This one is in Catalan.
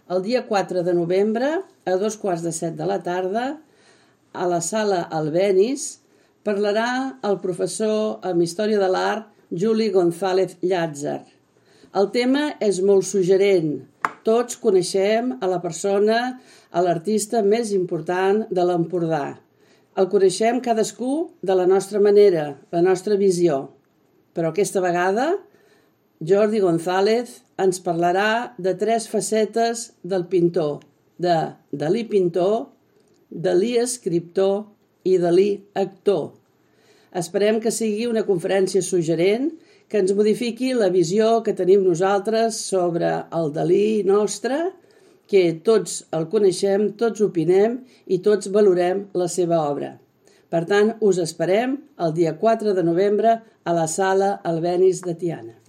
el dia 4 de novembre, a 7:15 de la tarda, a la sala Albéniz, parlarà el professor en Història de l'Art Juli González Llàtzer. El tema és molt suggerent. Tots coneixem a la persona, a l'artista més important de l'Empordà. El coneixem cadascú de la nostra manera, la nostra visió. Però aquesta vegada, Jordi González ens parlarà de 3 facetes del pintor, de Dalí pintor, Dalí escriptor i Dalí actor. Esperem que sigui una conferència suggerent que ens modifiqui la visió que tenim nosaltres sobre el Dalí nostre, que tots el coneixem, tots opinem i tots valorem la seva obra. Per tant, us esperem el dia 4 de novembre a la sala Albéniz de Tiana.